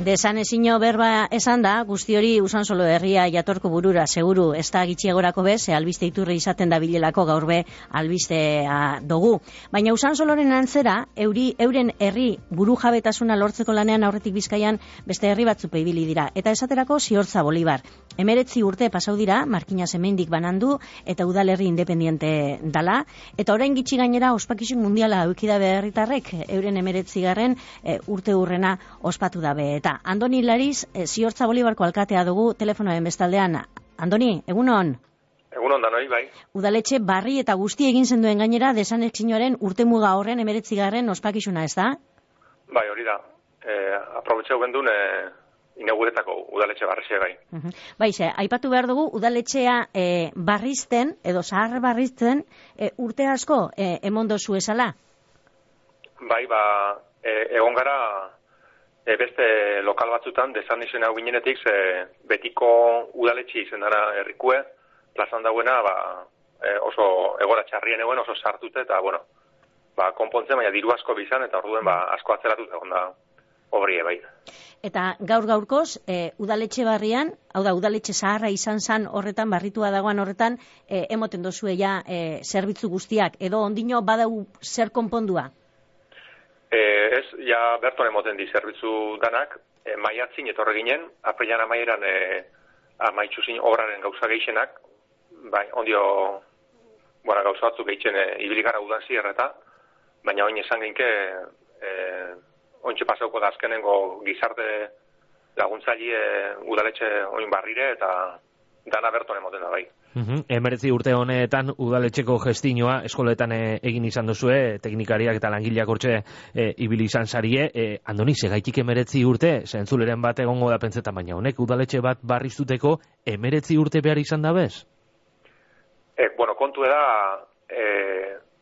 Desanezino berba esan da, guzti hori Usansolo herria jatorko burura, seguru, ez da gitxiagorako bez, albiste iturri izaten da bilelako gaur be albistea dugu. Baina Usansoloren antzera, euren herri buru jabetasuna lortzeko lanean aurretik Bizkaian beste herri batzupe ibili dira. Eta esaterako Ziortza Bolibar. 19 urte pasau dira, Markinas hemendik banandu, eta udalerri independiente dala. Eta orain gitxi gainera ospakizun mundiala eukida herritarrek euren 19. Urte hurrena ospatu dabe. Eta Andoni Lariz, Ziortza Bolibarko alkatea dugu telefonoen bestaldean. Andoni, egunon? Egunon danoi, bai. Udaletxe barri eta guzti egin zenduen gainera desanexinoaren urtemuga horren 19. ospakizuna, ez da? Bai, hori da. Aprobetxeu gendun inauguretako udaletxe barrizia gai. Bai, aipatu behar dugu udaletxea barrizten, edo zahar barrizten, urte asko emondozu esala? Bai, egon gara beste lokal batzutan, desanexen hau ginenetik, betiko udaletxe izen dara herrikue, plazan dauena, oso egora txarrien eguen, oso sartute, eta, konpontzen, baina diru asko bizan, eta orduen asko atzeratut egon da obrie, bai. Eta gaur-gaurkoz, udaletxe barrian, hau da, udaletxe zaharra izan zan horretan, barritua dagoan horretan, emoten dozuela zerbitzu guztiak, edo ondino badau zer konpondua? Ez, ja berton emoten di zerbitzu danak, maiatzin etorre ginen, aprilan amaieran amaitxuzin obraren gauza geixenak, bai, ondio, gauza batzuk geitzen ibiligara udan zierreta, baina oin esan genke, ointxe pasauko da azkenengo gizarte laguntzaile udaletxe oin barrire, eta dana berton emoten da, bai. 19 urte honetan udaletxeko gestinoa eskoletan egin izan duzue, teknikariak eta langileak hortxe ibili izan zarie. Andoni, segaitik 19 urte, zentzuleren bat egongo da pentsetan, baina honek udaletxe bat barriztuteko 19 urte behar izan da bez? Kontu da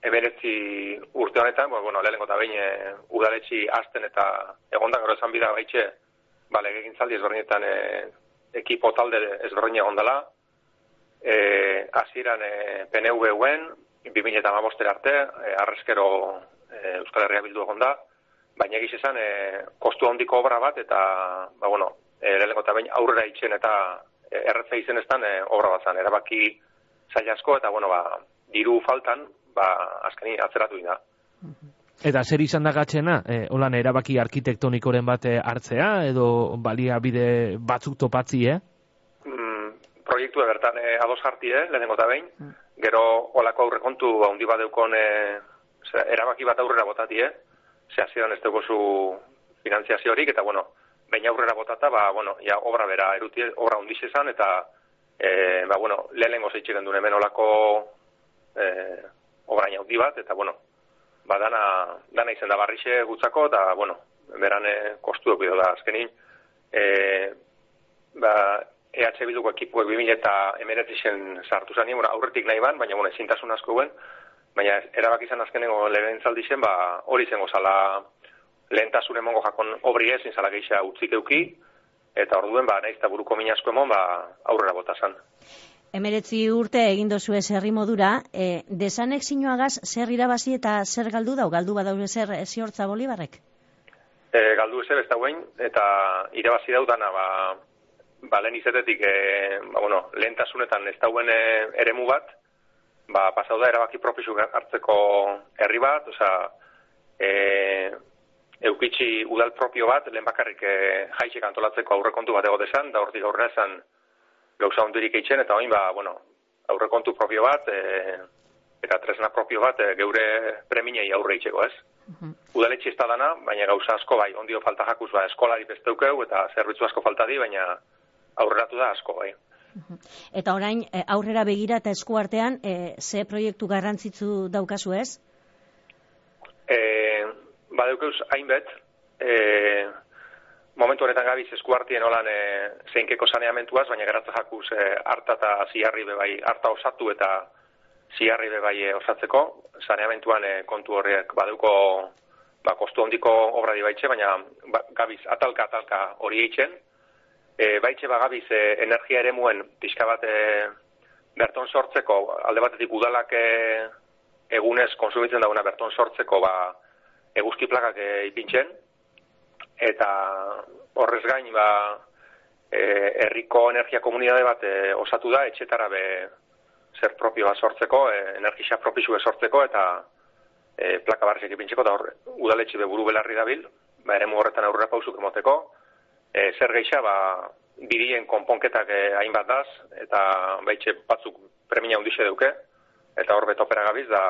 19 urte honetan, lehenengo eta behin udaletxi azten eta egondan gero esan bida baitxe, legegintzaldi ezberdinetan ekipo talde ezberdin egondala, hasieran PNV-uen, 2015 arte, arrezkero Euskal Herria Bildu egon da, baina egiz esan kostu handiko obra bat, eta, lehenengo eta behin aurrera itxen eta erretza izen eztan obra bat zan, erabaki zaila asko, eta, diru faltan, azkeni atzeratu dira. Eta zer izan da gatzena? Holan erabaki arkitektonikoren bat hartzea, edo baliabide batzuk topatzi, Proiektua bertan ados jarti, lehenengo eta behin. Gero olako aurrekontu handi bat deukon erabaki bat aurrera botati, ze hasieran ez dugu finantziaziorik, eta behin aurrera botata, ja obra bera eruti, obra hundiz esan, eta lehenengo zeitxeken duen hemen olako obra handi bat, eta dana izen da barrixe gutzako, eta beran kostu edo da azkenin. EH Bilduko ekipuek 2019 sartu zanien, aurretik nahi ban, baina ezintasun asko guen, baina erabaki izan azkenengo lehenentzaldi zen, hori zengo zala lehentasun emongo jakon obri ezin zala geixa utzik euki, eta orduen nahiz eta buruko min asko emon, aurrera bota zan. 19 urte egin dozu ez herri modura, desanexinoagaz zer irabazi eta zer galdu dau? Galdu badau zer Ziortza Bolibarrek? Galdu ez ez dauen, eta irabazi daudana, lehen izetetik, lehentasunetan ez dauen eremu bat, pasau da erabaki propisu hartzeko herri bat, eukitxi udal propio bat, lehen bakarrik jaixek antolatzeko aurrekontu bat ego desan, da hortik aurrera esan gauza hondirik eitzen, eta oin, aurrekontu propio bat, eta tresna propio bat, geure preminei aurre eitzeko, ez? Udaletxe ez da dana, baina gauza asko, ondio falta jakuz, eskolari besteukeu, eta zerbitzu asko falta di, baina aurreratu da asko, bai. Eta orain, aurrera begira eta eskuartean, ze proiektu garrantzitsu daukazu ez? Badaukeuz hainbet, momentu honetan gabiz eskuartien holan zeinkeko saneamentuaz, baina geratza jakuz harta eta ziarri bebai, harta osatu eta ziarri bebai osatzeko, saneamentuan kontu horrek badauko kostu hondiko obra di baitxe, baina gabiz atalka hori eitzen, baitxe gabiz energia ere muen pixka bat berton sortzeko, alde batetik udalak egunez konsumitzen dauna berton sortzeko eguzki plakak ipintzen, eta horrez gain, herriko energia komunitate bat osatu da, etxetara zer propioa sortzeko, energia propizue sortzeko, eta plaka barrizek ipintzeko, eta udaletxe buru belarri dabil, eremu horretan aurrera pausuk emoteko, zer geixa, bidien konponketak hainbat daz, eta baitxe batzuk premia hundixe duke, eta hor betopera gabiz, da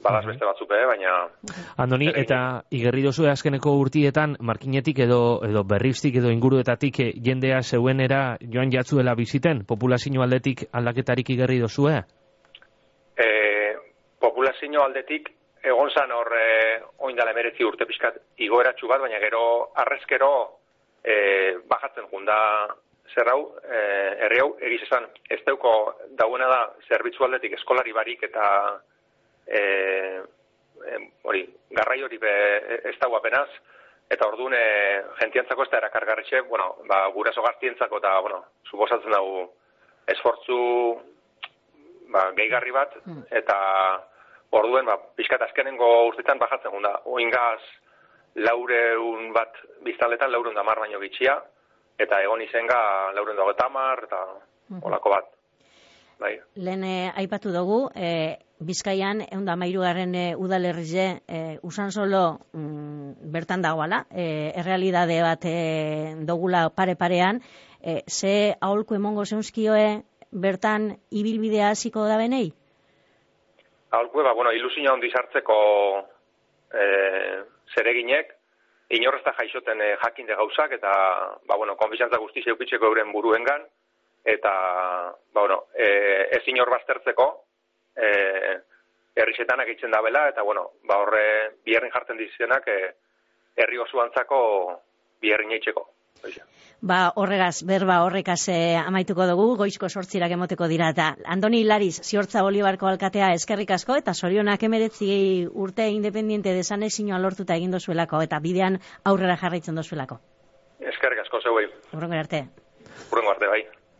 badaz beste batzuk, baina... Andoni, eta igerri dozu azkeneko urtietan, markinetik edo berriztik edo inguruetatik jendea zeuenera joan jatzuela biziten, populazio aldetik aldaketarik igerri dozue? Populazio aldetik egon zan hor oindala 19 urte pixkat igoeratxu bat, baina gero arrezkero bajatzen junda zer hau, herri hau, egiz esan, ez deuko dauena da zerbitzu aldetik eskolari barik eta garrai hori ez dago apenaz, eta orduan jentiantzako ez da erakargarritxe, guraso gaztientzako eta, suposatzen dugu esfortzu gehigarri bat, eta orduen, pixkat azkenengo urtetan bajatzen gunda. Oingaz, 400 bat biztaletan, 410 baino gitxia, eta egon izenga 430 eta olako bat. Bai. Lehen aipatu dugu, Bizkaian, 113 udalerrize, Usansolo bertan dagoala, errealidade bat dogula pare-parean, ze aholku emongo zeunzkioe bertan ibilbidea hasiko da benei? Aholku, ilusina ondi sartzeko zereginek, inorrezta jaixoten jakinde gauzak, eta, konfizantza guztiz eukitzeko euren buruengan, eta, ez inor baztertzeko, herrixetanak eitzen dabela, eta, horre biherrin jartzen dizenak, herri osoantzako biherrin eitzeko. Horregaz, berba horrekaz amaituko dugu, goizko 8 emoteko dira, eta Andoni Lariz, Ziortza Bolibarko alkatea eskerrik asko, eta sorionak 19 urte independiente desanexinoa lortuta egin dozuelako, eta bidean aurrera jarraitzen dozuelako. Eskerrik asko, zeuei. Urrengo arte. Urrengo arte, bai.